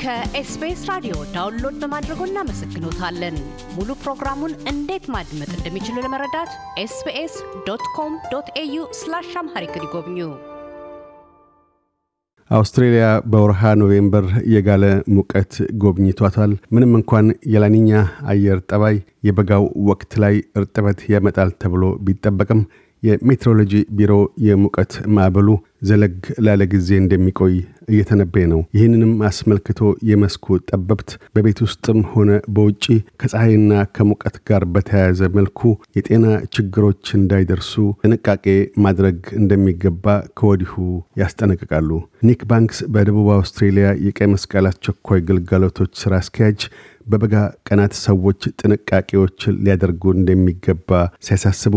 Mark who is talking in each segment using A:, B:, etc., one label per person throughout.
A: ከኤስቢኤስ ራዲዮ ዳውንሎድ በማድረጎ እናመሰግኖታለን። ሙሉ ፕሮግራሙን እንዴት ማድመጥ እንደሚችሉ ለመረዳት sbs.com.au/amharic ይጎብኙ።
B: አውስትራሊያ በወርሃ ኖቬምበር የጋለ ሙቀት ጎብኝቷታል። ምንም እንኳን የላኒኛ አየር ጠባይ የበጋው ወቅት ላይ እርጥበት ያመጣል ተብሎ ቢጠበቅም የሜትሮሎጂ ቢሮ የሙቀት ማዕበሉ ዘለግ ላለ ጊዜ እንደሚቆይ እየተነበየ ነው። ይህንንም አስመልክቶ የመስኩ ጠበብት በቤት ውስጥም ሆነ በውጪ ከፀሐይና ከሙቀት ጋር በተያያዘ መልኩ የጤና ችግሮች እንዳይደርሱ ጥንቃቄ ማድረግ እንደሚገባ ከወዲሁ ያስጠነቅቃሉ። ኒክ ባንክስ በደቡብ አውስትራሊያ የቀይ መስቀል አስቸኳይ ግልጋሎቶች ስራ አስኪያጅ በበጋ ቀናት ሰዎች ጥንቃቄዎችን ሊያደርጉ እንደሚገባ ሲያሳስቡ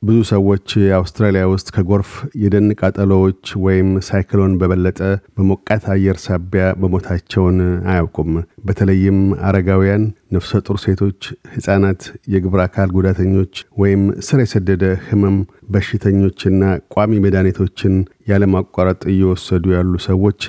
B: ብዙ ሰዎች አውስትራሊያ ውስጥ ከጎርፍ የደን ቃጠሎዎች ወይም ሳይክሎን በበለጠ በሞቃት አየር ሳቢያ በሞታቸውን አያውቁም። በተለይም አረጋውያን፣ ነፍሰ ጡር ሴቶች፣ ህፃናት፣ የግብረ አካል ጉዳተኞች ወይም ስር የሰደደ ህመም በሽተኞችና ቋሚ መድኃኒቶችን ያለማቋረጥ እየወሰዱ ያሉ ሰዎች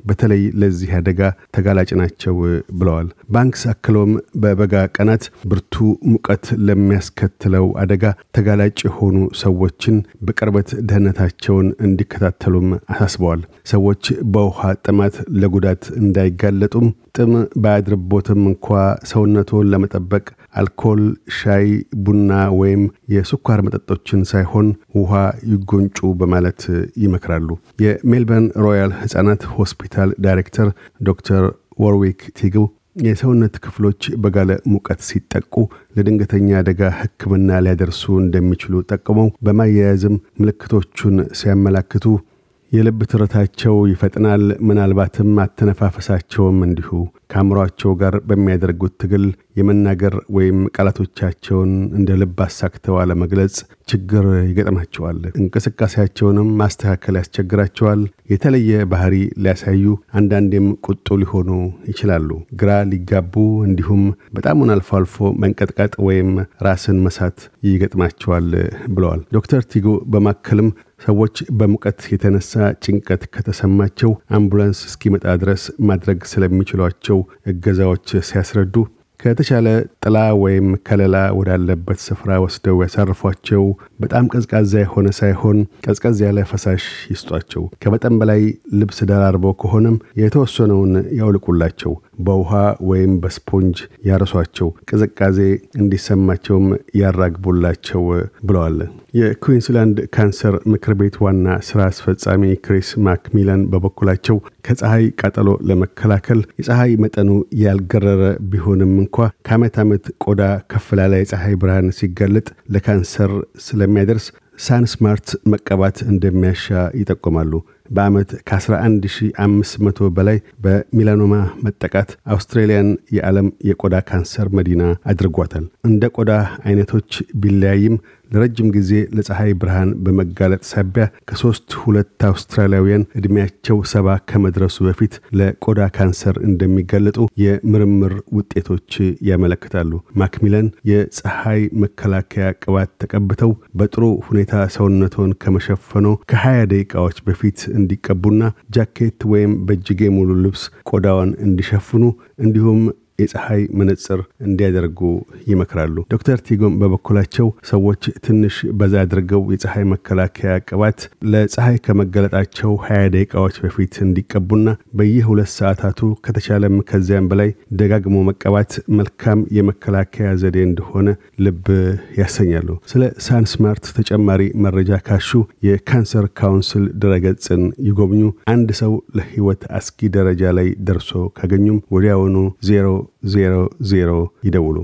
B: በተለይ ለዚህ አደጋ ተጋላጭ ናቸው ብለዋል። ባንክስ አክሎም በበጋ ቀናት ብርቱ ሙቀት ለሚያስከትለው አደጋ ተጋላጭ የሆኑ ሰዎችን በቅርበት ደህንነታቸውን እንዲከታተሉም አሳስበዋል። ሰዎች በውሃ ጥማት ለጉዳት እንዳይጋለጡም ጥም ባያድርቦትም እንኳ ሰውነቱን ለመጠበቅ አልኮል፣ ሻይ፣ ቡና ወይም የስኳር መጠጦችን ሳይሆን ውሃ ይጎንጩ በማለት ይመክራሉ። የሜልበርን ሮያል ህፃናት ሆስፒታል ዳይሬክተር ዶክተር ወርዊክ ቲጉ የሰውነት ክፍሎች በጋለ ሙቀት ሲጠቁ ለድንገተኛ አደጋ ህክምና ሊያደርሱ እንደሚችሉ ጠቅመው በማያያዝም ምልክቶቹን ሲያመላክቱ የልብ ትርታቸው ይፈጥናል፣ ምናልባትም አተነፋፈሳቸውም እንዲሁ ከአእምሮአቸው ጋር በሚያደርጉት ትግል የመናገር ወይም ቃላቶቻቸውን እንደ ልብ አሳክተው አለመግለጽ ችግር ይገጥማቸዋል። እንቅስቃሴያቸውንም ማስተካከል ያስቸግራቸዋል። የተለየ ባህሪ ሊያሳዩ አንዳንዴም ቁጡ ሊሆኑ ይችላሉ። ግራ ሊጋቡ እንዲሁም በጣም አልፎ አልፎ መንቀጥቀጥ ወይም ራስን መሳት ይገጥማቸዋል ብለዋል። ዶክተር ቲጉ በማከልም ሰዎች በሙቀት የተነሳ ጭንቀት ከተሰማቸው አምቡላንስ እስኪመጣ ድረስ ማድረግ ስለሚችሏቸው እገዛዎች ሲያስረዱ ከተቻለ ጥላ ወይም ከለላ ወዳለበት ስፍራ ወስደው ያሳርፏቸው። በጣም ቀዝቃዛ የሆነ ሳይሆን ቀዝቀዝ ያለ ፈሳሽ ይስጧቸው። ከመጠን በላይ ልብስ ደራርበው ከሆነም የተወሰነውን ያውልቁላቸው። በውሃ ወይም በስፖንጅ ያረሷቸው። ቅዝቃዜ እንዲሰማቸውም ያራግቡላቸው ብለዋል። የኩዊንስላንድ ካንሰር ምክር ቤት ዋና ስራ አስፈጻሚ ክሪስ ማክሚላን በበኩላቸው ከፀሐይ ቃጠሎ ለመከላከል የፀሐይ መጠኑ ያልገረረ ቢሆንም እንኳ ከዓመት ዓመት ቆዳ ከፍ ላለ የፀሐይ ብርሃን ሲጋለጥ ለካንሰር ስለሚያደርስ ሳንስማርት መቀባት እንደሚያሻ ይጠቁማሉ። በአመት ከ11500 በላይ በሚላኖማ መጠቃት አውስትራሊያን የዓለም የቆዳ ካንሰር መዲና አድርጓታል። እንደ ቆዳ አይነቶች ቢለያይም ለረጅም ጊዜ ለፀሐይ ብርሃን በመጋለጥ ሳቢያ ከ3-2 አውስትራሊያውያን እድሜያቸው 70 ከመድረሱ በፊት ለቆዳ ካንሰር እንደሚጋለጡ የምርምር ውጤቶች ያመለክታሉ። ማክሚላን የፀሐይ መከላከያ ቅባት ተቀብተው በጥሩ ሁኔታ ሰውነቶን ከመሸፈኖ ከ20 ደቂቃዎች በፊት እንዲቀቡና ጃኬት ወይም በእጅጌ ሙሉ ልብስ ቆዳውን እንዲሸፍኑ እንዲሁም የፀሐይ መነጽር እንዲያደርጉ ይመክራሉ። ዶክተር ቲጎም በበኩላቸው ሰዎች ትንሽ በዛ አድርገው የፀሐይ መከላከያ ቅባት ለፀሐይ ከመገለጣቸው 20 ደቂቃዎች በፊት እንዲቀቡና በየ2 ሰዓታቱ ከተቻለም ከዚያም በላይ ደጋግሞ መቀባት መልካም የመከላከያ ዘዴ እንደሆነ ልብ ያሰኛሉ። ስለ ሳንስማርት ተጨማሪ መረጃ ካሹ የካንሰር ካውንስል ድረገጽን ይጎብኙ። አንድ ሰው ለህይወት አስጊ ደረጃ ላይ ደርሶ ካገኙም ወዲያውኑ 000 ይደውሉ።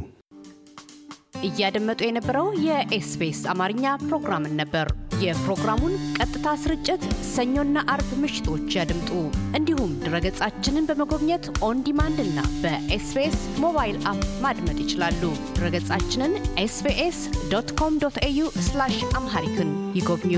A: እያደመጡ የነበረው የኤስቢኤስ አማርኛ ፕሮግራምን ነበር። የፕሮግራሙን ቀጥታ ስርጭት ሰኞና አርብ ምሽቶች ያድምጡ። እንዲሁም ድረገጻችንን በመጎብኘት ኦን ዲማንድ እና በኤስቢኤስ ሞባይል አፕ ማድመጥ ይችላሉ። ድረገጻችንን sbs.com.au/amharic ይጎብኙ።